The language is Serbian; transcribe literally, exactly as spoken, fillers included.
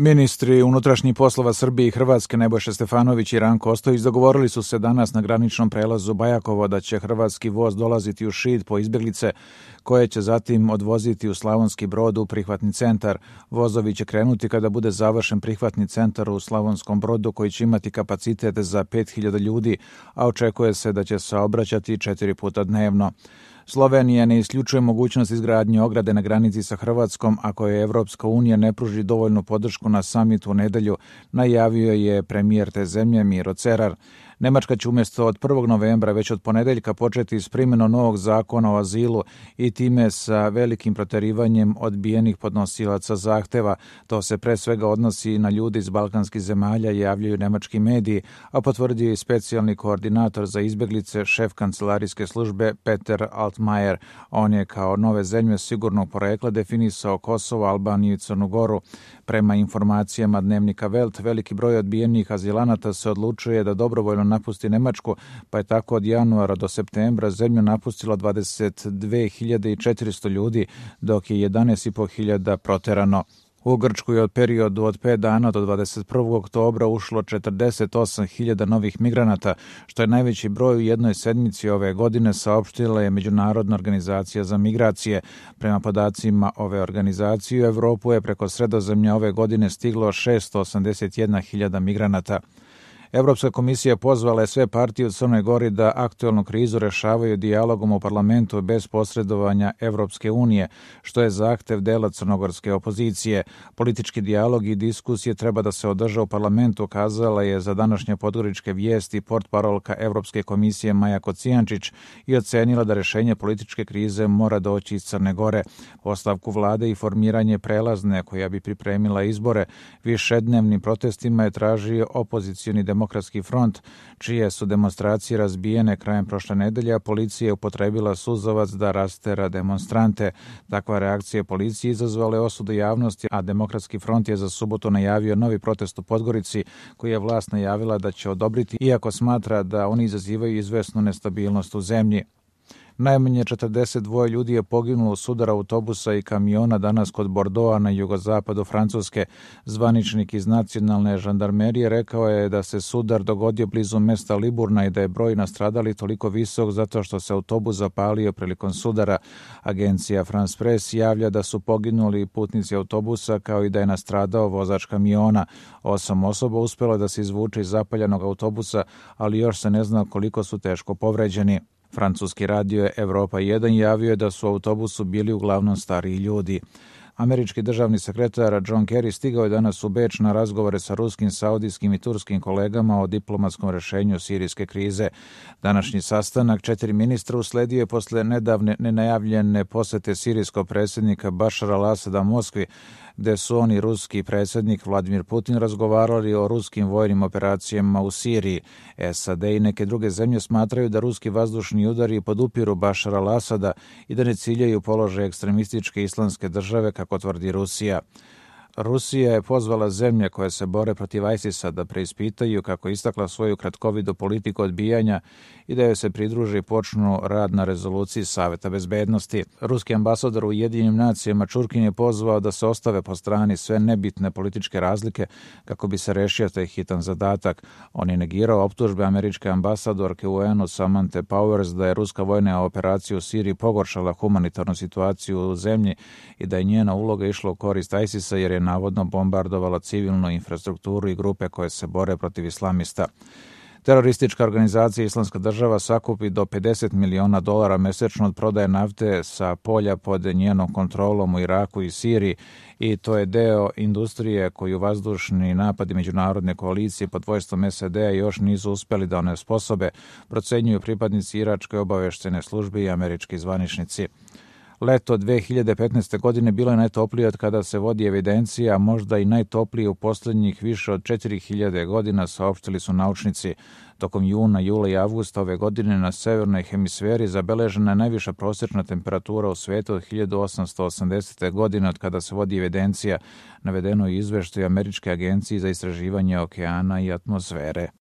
Ministri unutrašnjih poslova Srbije i Hrvatske Nebojša Stefanović i Ranko Ostojić dogovorili su se danas na graničnom prelazu Bajakovo da će hrvatski voz dolaziti u Šid po izbjeglice koje će zatim odvoziti u Slavonski Brod u prihvatni centar. Vozovi će krenuti kada bude završen prihvatni centar u Slavonskom Brodu koji će imati kapacitet za pet hiljada ljudi, a očekuje se da će se obraćati četiri puta dnevno. Slovenija ne isključuje mogućnost izgradnje ograde na granici sa Hrvatskom ako je Evropska unija ne pruži dovoljnu podršku na samitu u nedelju, najavio je premijer te zemlje Miro Cerar. Nemačka će umjesto od prvog novembra već od ponedeljka početi s primjenom novog zakona o azilu i time sa velikim proterivanjem odbijenih podnosilaca zahteva. To se pre svega odnosi na ljudi iz balkanskih zemalja, javljaju nemački mediji, a potvrdio je i specijalni koordinator za izbjeglice, šef kancelarijske službe Peter Altmaier. On je kao nove zemlje sigurnog porekla definisao Kosovo, Albaniju i Crnu Goru. Prema informacijama dnevnika Welt, veliki broj odbijenih azilanata se odlučuje da dobrovoljno napusti Nemačku, pa je tako od januara do septembra zemlju napustilo dvadeset dve hiljade četiristo ljudi, dok je jedanaest i po hiljada proterano. U Grčku je od periodu od pet dana do dvadeset prvog oktobra ušlo četrdeset osam hiljada novih migranata, što je najveći broj u jednoj sedmici ove godine, saopštila je Međunarodna organizacija za migracije. Prema podacima ove organizacije u Evropu je preko Sredozemlja ove godine stiglo šesto osamdeset jedna hiljada migranata. Evropska komisija pozvala je sve partije u Crnoj Gori da aktuelnu krizu rešavaju dijalogom u parlamentu bez posredovanja Evropske unije, što je zahtev dela crnogorske opozicije. Politički dijalog i diskusije treba da se održa u parlamentu, kazala je za današnje podgoričke vijesti portparolka Evropske komisije Maja Kocijančić i ocenila da rešenje političke krize mora doći iz Crne Gore. Ostavku vlade i formiranje prelazne koja bi pripremila izbore višednevnim protestima je tražio opozicioni demokratski Demokratski front, čije su demonstracije razbijene krajem prošle nedelje, a policija je upotrebila suzavac da rastera demonstrante. Takva reakcija policije izazvala je osudu javnosti, a Demokratski front je za subotu najavio novi protest u Podgorici, koji je vlast najavila da će odobriti, iako smatra da oni izazivaju izvesnu nestabilnost u zemlji. Najmanje četrdeset dva ljudi je poginulo u sudaru autobusa i kamiona danas kod Bordeauxa na jugozapadu Francuske. Zvaničnik iz nacionalne žandarmerije rekao je da se sudar dogodio blizu mesta Liburna i da je broj nastradalih toliko visok zato što se autobus zapalio prilikom sudara. Agencija France Press javlja da su poginuli putnici autobusa kao i da je nastradao vozač kamiona. Osam osoba uspjelo da se izvuče iz zapaljenog autobusa, ali još se ne zna koliko su teško povređeni. Francuski radio Evropa jedan javio je da su u autobusu bili uglavnom stariji ljudi. Američki državni sekretar John Kerry stigao je danas u Beč na razgovore sa ruskim, saudijskim i turskim kolegama o diplomatskom rešenju sirijske krize. Današnji sastanak četiri ministra usledio je posle nedavne nenajavljene posete sirijskog predsjednika Bašara al-Asada Moskvi, gde su oni ruski predsjednik Vladimir Putin razgovarali o ruskim vojnim operacijama u Siriji. S A D i neke druge zemlje smatraju da ruski vazdušni udari podupiru Bašara al-Asada i da ne ciljaju položaj ekstremističke islamske države, kako tvrdi Rusija. Rusija je pozvala zemlje koje se bore protiv ISIS-a da preispitaju, kako je istakla, svoju kratkovidu politiku odbijanja i da joj se pridruži i počnu rad na rezoluciji Saveta bezbednosti. Ruski ambasador u Ujedinjenim nacijama Čurkin je pozvao da se ostave po strani sve nebitne političke razlike kako bi se rešio taj hitan zadatak. On je negirao optužbe američke ambasadorke u U N-u Samanthe Powers da je ruska vojna operacija u Siriji pogoršala humanitarnu situaciju u zemlji i da je njena uloga išla u korist ISIS-a jer je navodno bombardovala civilnu infrastrukturu i grupe koje se bore protiv islamista. Teroristička organizacija Islamska država sakupi do pedeset miliona dolara mesečno od prodaje nafte sa polja pod njenom kontrolom u Iraku i Siriji i to je deo industrije koju vazdušni napadi međunarodne koalicije pod vojstvom S A D-a još nisu uspjeli da onesposobe, procenjuju pripadnici iračke obaveštene službe i američki zvaničnici. Leto dve hiljade petnaeste. godine bilo je najtoplije od kada se vodi evidencija, a možda i najtoplije u posljednjih više od četiri hiljade godina, saopštili su naučnici. Tokom juna, jula i avgusta ove godine na severnoj hemisferi zabeležena je najviša prosječna temperatura u svijetu od hiljadu osamsto osamdesete. godine od kada se vodi evidencija, navedeno u izveštaju Američke agencije za istraživanje okeana i atmosfere.